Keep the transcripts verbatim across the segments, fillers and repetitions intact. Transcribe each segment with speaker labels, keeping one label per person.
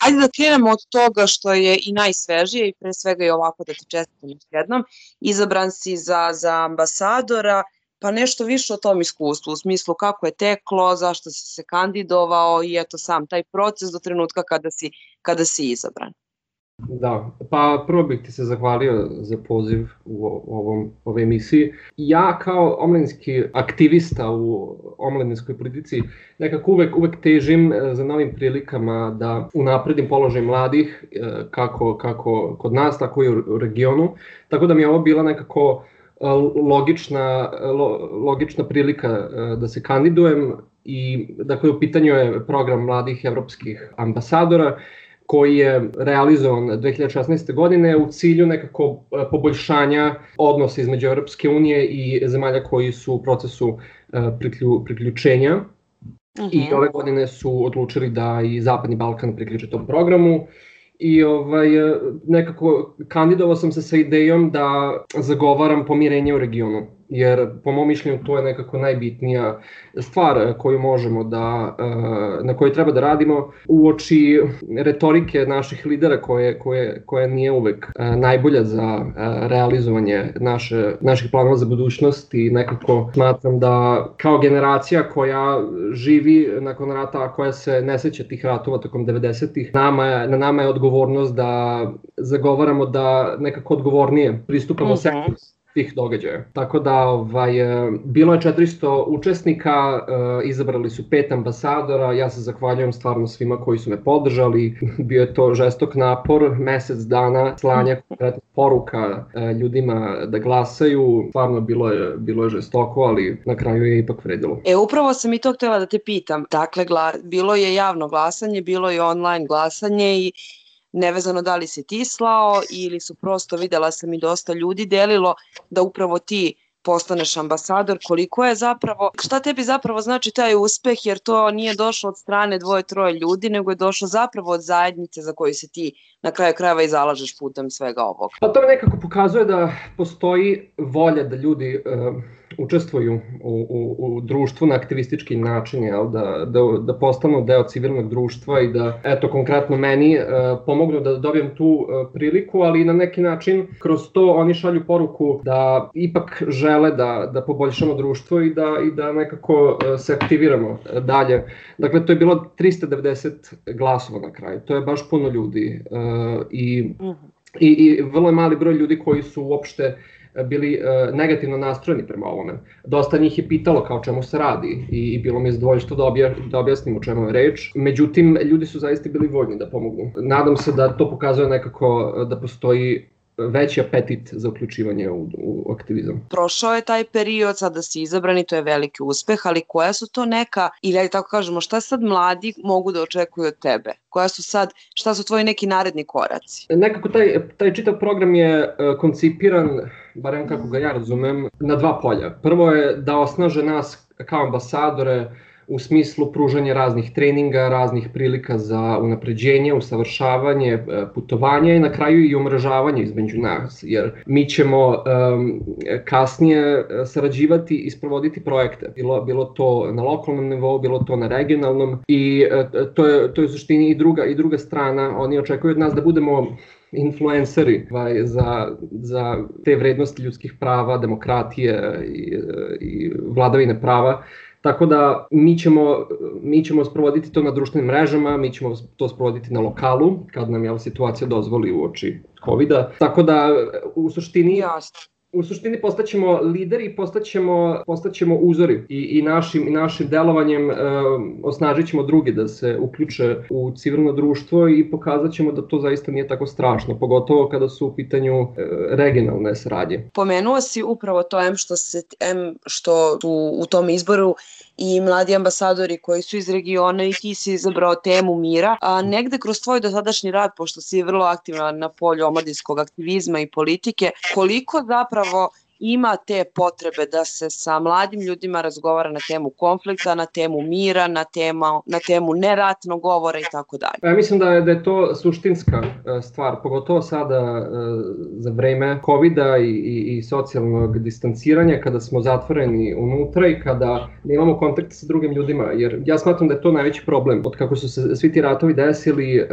Speaker 1: Ajde da krenemo od toga što je i najsvežije i pre svega i ovako da ti čestitam još jednom. Izabran si za, za ambasadora, pa nešto više o tom iskustvu, u smislu kako je teklo, zašto si se kandidovao i eto sam taj proces do trenutka kada si, kada si izabran.
Speaker 2: Da, pa prvo bih ti se zahvalio za poziv u ovom, ovoj emisiji. Ja kao omladinski aktivista u omladinskoj politici nekako uvek, uvek težim za novim prilikama da unapredim položaj mladih, kako, kako kod nas, tako i u regionu. Tako da mi je ovo bila nekako logična, logična prilika da se kandidujem i dakle u pitanju je program mladih evropskih ambasadora koji je realizovan dve hiljade šesnaeste. godine u cilju nekako poboljšanja odnosa između Evropske unije i zemalja koji su u procesu priklju, priključenja. Uh-huh. I ove godine su odlučili da i Zapadni Balkan priključe tom programu. I ovaj, nekako kandidovao sam se sa idejom da zagovaram pomirenje u regionu, jer po mom mišljenju to je nekako najbitnija stvar koju možemo da, na kojoj treba da radimo uoči retorike naših lidera koje, koje, koja nije uvek najbolja za realizovanje naše, naših planova za budućnost i nekako smatram da kao generacija koja živi nakon rata, a koja se ne seća tih ratova tokom devedesetih, nama je, na nama je odgovornost da zagovaramo da nekako odgovornije pristupamo uh-huh. sektoru tih događaja. Tako da ovaj, bilo je četiristo učesnika, izabrali su pet ambasadora, ja se zahvaljujem stvarno svima koji su me podržali, bio je to žestok napor, mesec dana slanja konkretnih poruka ljudima da glasaju, stvarno bilo je, bilo je žestoko, ali na kraju je ipak vredilo.
Speaker 1: E, upravo sam i to htjela da te pitam, dakle, gla, bilo je javno glasanje, bilo je online glasanje i nevezano da li si ti slao ili su prosto, videla sam i dosta ljudi delilo da upravo ti postaneš ambasador, koliko je zapravo, šta tebi zapravo znači taj uspeh, jer to nije došlo od strane dvoje, troje ljudi, nego je došlo zapravo od zajednice za koju se ti na kraju krajeva i zalažeš putem svega ovog.
Speaker 2: Pa to nekako pokazuje da postoji volja da ljudi uh, učestvuju u, u, u društvu na aktivistički način, jel? Da, da, da postanu deo civilnog društva i da, eto, konkretno meni uh, pomognu da dobijem tu uh, priliku, ali na neki način kroz to oni šalju poruku da ipak žele da, da poboljšamo društvo i da, i da nekako uh, se aktiviramo dalje. Dakle, to je bilo tristo devedeset glasova na kraju, to je baš puno ljudi. Uh, I, i, i vrlo je mali broj ljudi koji su uopšte bili uh, negativno nastrojeni prema ovome. Dosta njih je pitalo kao čemu se radi i, i bilo mi je zadovoljstvo da, obja, da objasnim o čemu je reč. Međutim, ljudi su zaista bili voljni da pomognu. Nadam se da to pokazuje nekako da postoji veći apetit za uključivanje u, u aktivizam.
Speaker 1: Prošao je taj period, sada si izabran i to je veliki uspeh, ali koja su to neka, ili tako kažemo, šta sad mladi mogu da očekuju od tebe? Koja su sad, šta su tvoji neki naredni koraci?
Speaker 2: Nekako taj, taj čitav program je uh, koncipiran, barem kako ga ja razumem, na dva polja. Prvo je da osnaže nas kao ambasadore u smislu pružanja raznih treninga, raznih prilika za unapređenje, usavršavanje, putovanje i na kraju i umrežavanje između nas, jer mi ćemo um, kasnije sarađivati i sprovoditi projekte. Bilo, bilo to na lokalnom nivou, bilo to na regionalnom i uh, to je, to je u suštini i druga, i druga strana. Oni očekuju od nas da budemo influenceri za, za te vrednosti ljudskih prava, demokratije i, i vladavine prava. Tako da mi ćemo, mi ćemo sprovoditi to na društvenim mrežama, mi ćemo to sprovoditi na lokalu, kad nam je situacija dozvoli uoči kovida. Tako da u suštini...
Speaker 1: Jasno.
Speaker 2: U suštini postaćemo lideri i postaćemo, postaćemo uzori i, i, našim, i našim delovanjem e, osnažit ćemo druge da se uključe u civilno društvo i pokazat ćemo da to zaista nije tako strašno, pogotovo kada su u pitanju e, regionalne saradnje.
Speaker 1: Pomenuo si upravo to em što, se, em što su u tom izboru i mladi ambasadori koji su iz regiona i ti si izabrao temu mira, a negde kroz tvoj dosadašnji rad, pošto si vrlo aktivna na polju omladinskog aktivizma i politike, koliko zapravo ima te potrebe da se sa mladim ljudima razgovara na temu konflikta, na temu mira, na, tema, na temu neratnog govora i tako dalje.
Speaker 2: Ja mislim da je, da je to suštinska stvar, pogotovo sada za vreme kovida i, i, i socijalnog distanciranja, kada smo zatvoreni unutra i kada nemamo kontakt sa drugim ljudima, jer ja smatram da je to najveći problem. Od kako su se svi ti ratovi desili,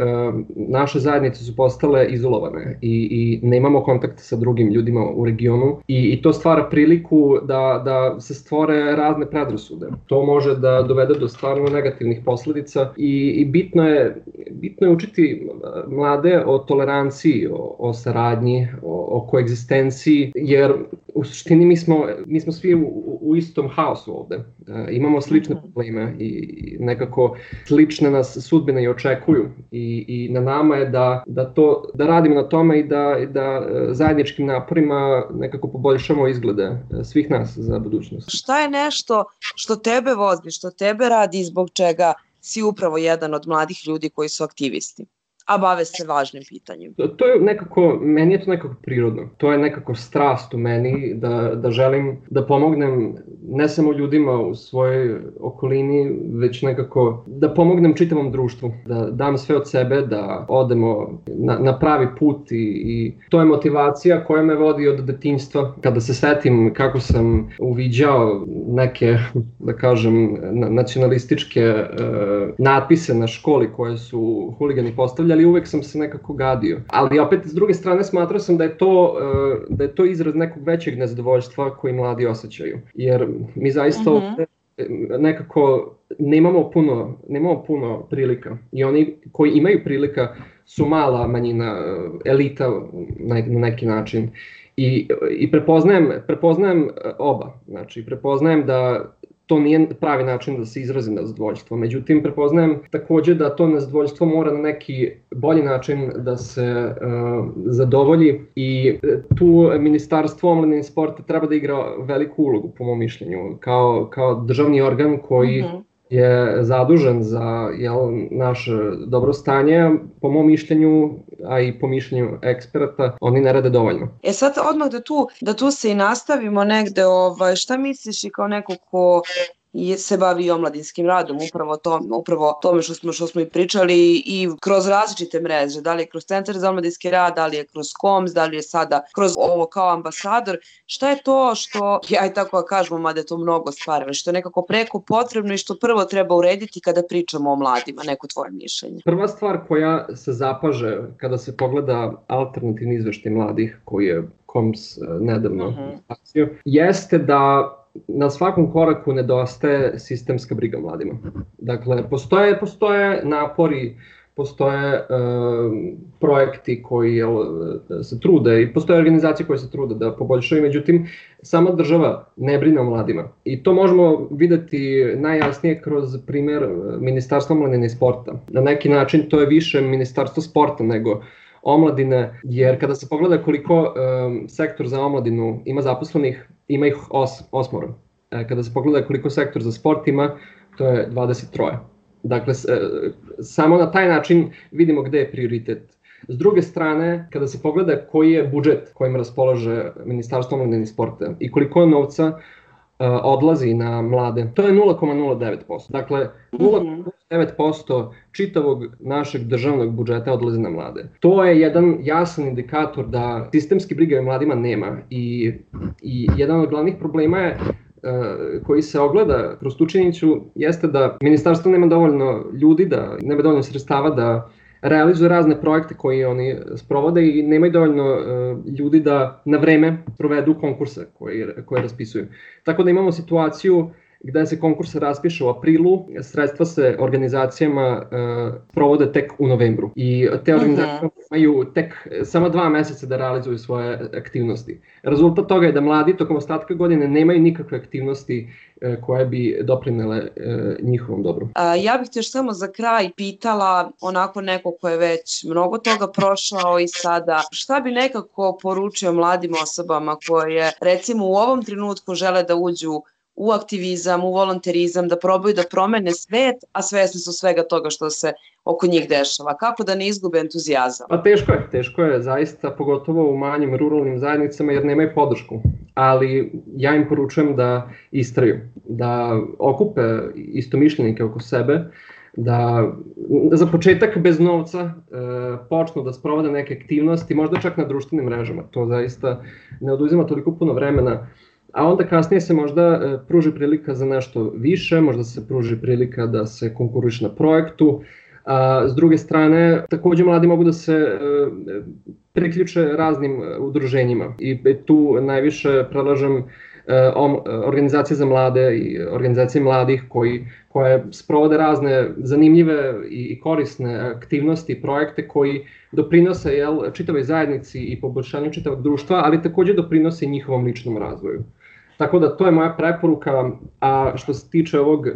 Speaker 2: naše zajednice su postale izolovane i, i nemamo kontakt sa drugim ljudima u regionu i, i to stvara priliku da, da se stvore razne predrasude. To može da dovede do stvarno negativnih posledica i, i bitno je, bitno je učiti mlade o toleranciji, o, o saradnji, o, o koegzistenciji, jer u suštini mi smo, mi smo svi u, u istom haosu ovde. E, imamo slične probleme i nekako slične nas sudbine i očekuju i, i na nama je da, da, to, da radimo na tome i da, da zajedničkim naporima nekako poboljšamo izglede svih nas za budućnost.
Speaker 1: Šta je nešto što tebe vozi, što tebe radi i zbog čega si upravo jedan od mladih ljudi koji su aktivisti, a bave se važnim pitanjem?
Speaker 2: To, to je nekako, meni je to nekako prirodno. To je nekako strast u meni da, da želim da pomognem ne samo ljudima u svojoj okolini, već nekako da pomognem čitavom društvu, da dam sve od sebe, da odemo na, na pravi put i, i to je motivacija koja me vodi od detinjstva. Kada se setim kako sam uviđao neke, da kažem, nacionalističke uh, natpise na školi koje su huligani postavljali, ali uvek sam se nekako gadio. Ali opet, s druge strane, smatrao sam da je to, da je to izraz nekog većeg nezadovoljstva koji mladi osjećaju. Jer mi zaista mm-hmm. ovde nekako nemamo puno, nemamo puno prilika. I oni koji imaju prilika su mala manjina, elita na neki način. I, i prepoznajem, prepoznajem oba. Znači, prepoznajem da to nije pravi način da se izrazi nezadovoljstvo. Međutim, prepoznajem takođe da to nezadovoljstvo mora na neki bolji način da se uh, zadovolji i tu Ministarstvo omladine i sporta treba da igra veliku ulogu, po mom mišljenju, kao, kao državni organ koji mm-hmm. je zadužen za jel, naše dobro stanje, po mom mišljenju, a i po mišljenju eksperata, oni ne rade dovoljno.
Speaker 1: E sad odmah da tu, da tu se i nastavimo negde, ovaj, šta misliš i kao neko ko se bavi omladinskim radom, upravo to, upravo tome što smo, što smo i pričali i kroz različite mreže, da li je kroz Centar za omladinski rad, da li je kroz Koms, da li je sada kroz ovo kao ambasador, šta je to što, ja i tako kažemo, mada je to mnogo stvari, što je nekako preko potrebno i što prvo treba urediti kada pričamo o mladima, neko tvoje mišljenje?
Speaker 2: Prva stvar koja se zapaže kada se pogleda alternativni izveštaj mladih koji je Koms nedavno uh-huh. jeste da na svakom koraku nedostaje sistemska briga mladima. Dakle, postoje, postoje napori, postoje e, projekti koji jel, se trude i postoje organizacije koje se trude da poboljšaju, međutim, sama država ne brine o mladima. I to možemo videti najjasnije kroz primer Ministarstva omladine i sporta. Na neki način to je više Ministarstvo sporta nego omladine, jer kada se pogleda koliko um, sektor za omladinu ima zaposlenih, ima ih os, osmoro. E, kada se pogleda koliko sektor za sport ima, to je dvadeset tri. Dakle, s, e, samo na taj način vidimo gde je prioritet. S druge strane, kada se pogleda koji je budžet kojim raspolaže Ministarstvo omladine i sporta i koliko novca uh, odlazi na mlade, to je nula zarez nula devet posto. Dakle, nula zarez nula devet posto čitavog našeg državnog budžeta odlazi na mlade. To je jedan jasan indikator da sistemski briga o mladima nema i, i jedan od glavnih problema je koji se ogleda kroz tu činjenicu jeste da ministarstvo nema dovoljno ljudi, da nema dovoljno sredstava da realizuju razne projekte koje oni sprovode i nemaju dovoljno uh, ljudi da na vreme provedu konkurse koje, koje raspisuju. Tako da imamo situaciju gde se konkurs raspiše u aprilu, sredstva se organizacijama uh, provode tek u novembru i te organizacije imaju tek samo dva meseca da realizuju svoje aktivnosti. Rezultat toga je da mladi tokom ostatka godine nemaju nikakve aktivnosti uh, koje bi doprinele uh, njihovom dobru.
Speaker 1: A, ja bih te još samo za kraj pitala, onako neko ko je već mnogo toga prošao i sada, šta bi nekako poručio mladim osobama koje recimo u ovom trenutku žele da uđu u aktivizam, u volonterizam, da probaju da promene svet, a svesni su svega toga što se oko njih dešava. Kako da ne izgube entuzijazam?
Speaker 2: Pa teško je, teško je zaista, pogotovo u manjim ruralnim zajednicama jer nemaju podršku. Ali ja im poručujem da istraju, da okupe istomišljenike oko sebe, da za početak bez novca e, počnu da sprovode neke aktivnosti, možda čak na društvenim mrežama. To zaista ne oduzima toliko puno vremena. A onda kasnije se možda e, pruži prilika za nešto više, možda se pruži prilika da se konkuriše na projektu. A, s druge strane, takođe mladi mogu da se e, priključe raznim udruženjima i tu najviše predlažem organizacije za mlade i organizacije mladih koji, koje sprovode razne zanimljive i korisne aktivnosti i projekte koji doprinose jel, čitavoj zajednici i poboljšanju čitavog društva, ali takođe doprinose i njihovom ličnom razvoju. Tako da to je moja preporuka, a što se tiče ovog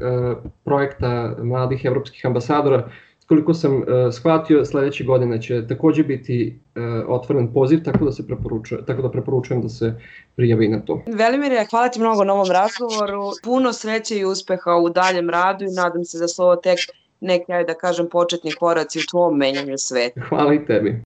Speaker 2: projekta mladih evropskih ambasadora, koliko sam uh, shvatio, sledeće godine će takođe biti uh, otvoren poziv, tako da se preporučujem, tako da preporučujem da se prijavi na to.
Speaker 1: Velimire, hvala ti mnogo na ovom razgovoru. Puno sreće i uspeha u daljem radu i nadam se da su ovo tek neki, ajde da kažem, početni koraci u tvom menjanju sveta.
Speaker 2: Hvala i tebi.